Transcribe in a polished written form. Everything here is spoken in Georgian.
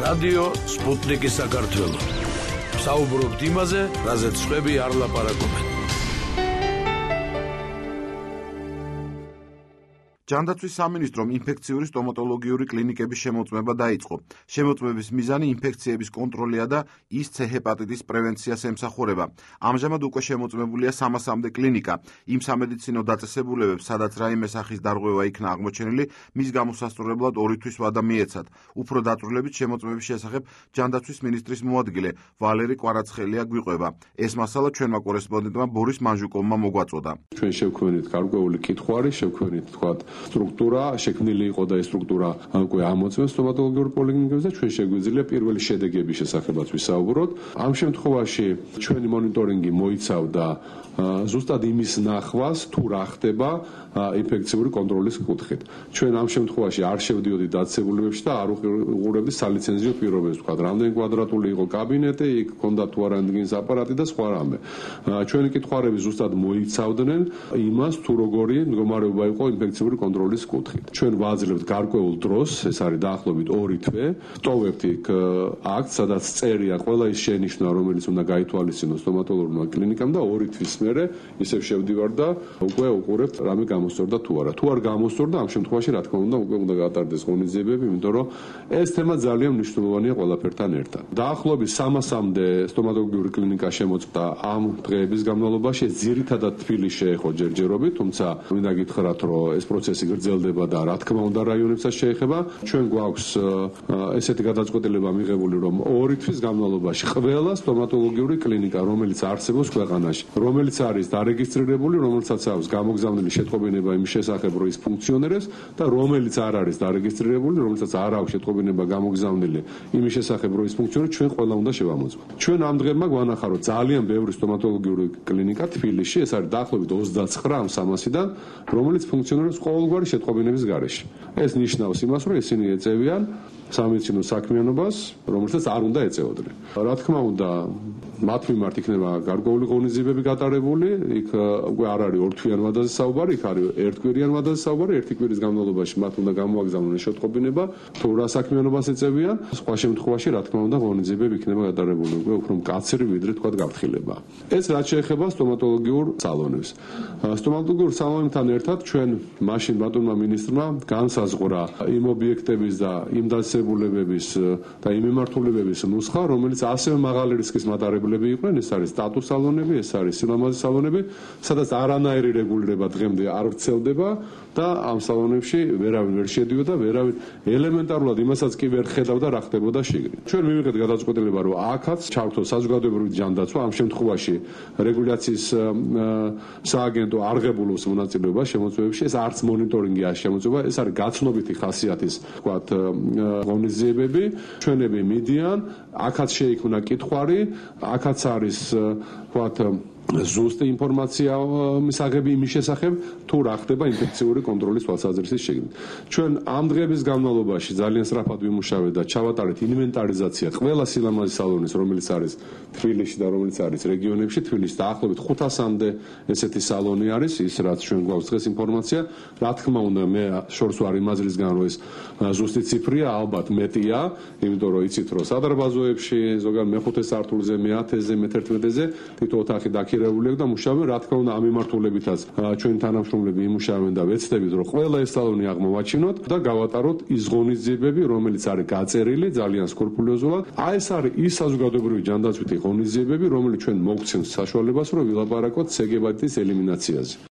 რადიო სპუტნიკი საქართველო. საუბრობთ იმაზე, რაზეც სხვები არ ლაპარაკობენ. ჯანდაცვის სამინისტრომ ინფექციური სტომატოლოგიური კლინიკების შემოწმება დაიწყო. შემოწმების მიზანი ინფექციების კონტროლია და ის C ჰეპატიტის პრევენციას ემსახურება. ამჟამად უკვე შემოწმებულია 300-მდე კლინიკა. იმ სამედიცინო დაწესებულებებს, სადაც რაიმე სახის დარღვევა იქნა აღმოჩენილი, მის გამოსასწორებლად 2 თვის ვადა მიეცათ. უფრო დაწვრილებით შემოწმების შესახებ ჯანდაცვის მინისტრის მოადგილე ვალერი კვარაცხელია გვიყვება. ეს მასალა ჩვენმა კორესპონდენტმა ბორის მანჟუკოვმა მოგვაწოდა. ჩვენ შევქმნით გარკვეული კითხვარი, შევქმნით თქვათ სტრუქტურა, შექმნილი იყო და ეს სტრუქტურა უკვე ამოწმებს სტომატოლოგიურ პოლიკლინიკებს და ჩვენ შეგვიძლია პირველი შედეგების შესახებაც ვისაუბროთ. ამ შემთხვევაში ჩვენი მონიტორინგი მოიცავდა ზუსტად იმის ნახვას, თუ რა ხდება ინფექციური კონტროლის კუთხით. ჩვენ ამ შემთხვევაში არ შევდიოდით დაწესებულებებში და არ უყურებდით სალიცენზიო პირობებს, თქვა, რამდენი კვადრატული იყო კაბინეტი, იქ ჰქონდა თუ არა რენტგენის აპარატი და სხვა რამე. ჩვენი კითხვარები ზუსტად მოიცავდნენ იმას, თუ როგორი მდგომარეობა იყო ინფექციური კონტროლის კუთხით. ჩვენ ვაძლევთ გარკვეულ დროს, ეს არის დაახლოებით 2 თვე, ვტოვებთ იქ აქტს, სადაც წერია ყველა ის შენიშვნა, რომელიც უნდა გაითვალისწინოს სტომატოლოგიურმა კლინიკამ და 2 თვის მერე ისევ შევდივარ და უკვე უყურებთ რამე გამოსწორდა თუ არა. თუ არ გამოსწორდა, ამ შემთხვევაში რა თქმა უნდა უკვე უნდა გაატარდეს ღონისძიებები, იმიტომ რომ ეს თემა ძალიან მნიშვნელოვანია ყველაფერთან ერთად. დაახლოებით 300-მდე სტომატოლოგიური კლინიკა შემოწმდა ამ დღეების განმავლობაში, ძირითადად თბილისში ეხო ჯერჯერობით, თუმცა მინდა გითხრათ, რომ ეს პროცესი გრძელდება და რა თქმა უნდა რაიონებსაც შეეხება. ჩვენ გვაქვს ესეთი გადაწყვეტილება მიღებული, რომ 2 თვის განმავლობაში ყველა სტომატოლოგიური კლინიკა, რომელიც არსებობს ქვეყანაში, რომელიც არის დარეგისტრირებული, რომელსაც აქვს გამოგზავნილი შეტყობინება იმის შესახებ, რომ ის ფუნქციონირებს და რომელიც არ არის დარეგისტრირებული, რომელსაც არ აქვს შეტყობინება გამოგზავნილი იმის შესახებ, რომ ის ფუნქციონირებს, ჩვენ ყველა უნდა შევამოწმოთ. ჩვენ ამ დღემდე გვანახა, რომ ძალიან ბევრი სტომატოლოგიური კლინიკა თბილისში, ეს არის დაახლოებით 29 ამ 300-დან, რომელიც ფუნქციონირებს ყოველგვარი შეტყობინების გარეშე. ეს ნიშნავს იმას, რომ ისინი ეწევიან სამედიცინო საქმიანობას, რომელსაც არ უნდა ეწეოდნენ. რა თქმა უნდა, მათ მიმართ იქნება გარკვეული ღონისძიებები გატარებული, იქ უკვე არ არის 2 თვიან ვადაზე საუბარი, იქ არის 1 კვირიან ვადაზე საუბარი, 1 კვირის განმავლობაში მათ უნდა გამოაგზავნონ შეტყობინება, თუ რა საქმიანობას ეწევიან, სხვა შემთხვევაში რა თქმა უნდა ღონისძიებები იქნება გატარებული, უკვე უფრო მკაცრი ვიდრე თქვა გაფრთხილება. ეს რაც შეეხება სტომატოლოგიურ სალონებს. სტომატოლოგიურ სალონებთან ერთად ჩვენ მაშინ ბატონმა მინისტრმა განსაზღვრა იმ ობიექტების და იმ დაწესებულებების და იმ მიმართულებების ნუსხა, რომელიც ასევე მაღალი რისკის მატარებლები იყვნენ, ეს არის სტატუს სალონები, ეს არის სილამაზის სალონები, სადაც არანაირი რეგულირება დღემდე არ ვრცელდება და ამ სალონებში ვერავინ ვერ შედიოდა, ვერავინ ელემენტარულად იმასაც კი ვერ ხედავდა რა ხდებოდა შიგნით. ჩვენ მივიღეთ გადაწყვეტილება, რომ აქაც ჩავთო საზოგადოებრივი ჯანდაცვა, ამ შემთხვევაში რეგულაციის სააგენტო არ ღებულობს მონაწილეობას შემოწმებებში, ეს არც მონიტორინგი არ შემოწმება, ეს არის გაცნობიტი ხასიათის, ვთქვათ, ღონისძიებები, ჩვენები მიდიან, აქაც შეიქმნა კითხვარი, აქაც არის, ვთქვათ, ზუსტი ინფორმაცია მისაღები იმის შესახებ, თუ რა ხდება ინფექციური კონტროლის თვალსაზრისით შეგნით. ჩვენ ამ დღეების განმავლობაში ძალიან სწრაფად ვიმუშავეთ და ჩავატარეთ ინვენტარიზაცია ყველა სილამაზის სალონის, რომელიც არის თბილისში და რომელიც არის რეგიონებში. თბილისში დაახლოებით 500-მდე ესეთი სალონი არის, ის რაც ჩვენ გვაქვს დღეს ინფორმაცია. რა თქმა უნდა, მე შორს ვარ იმ აზრისგან, რომ ეს ზუსტი ციფრია, ალბათ მეტია, იმიტომ რომ იცით, რომ სადარბაზოებში, ზოგადად მე-5 სართულზე, მე-10-ზე, მე-11-ზე თითო ოთახი დაქირავულია და მუშაობენ, რა თქმა უნდა, ამ მიმართულებითაც ჩვენი თანამშრომლები იმუშავენ და ვეცდებით, რომ ყველა ეს სალონი აღმოვაჩინოთ და გავატაროთ ის ღონისძიებები, რომელიც არის გაწერილი ძალიან სკრუპულოზულად. ეს არის ის საზოგადოებრივი ჯანდაცვითი ღონისძიებები, რომელიც ჩვენ მოგცემს საშუალებას, რომ ვილაპარაკოთ C ჰეპატიტის ელიმინაციაზე.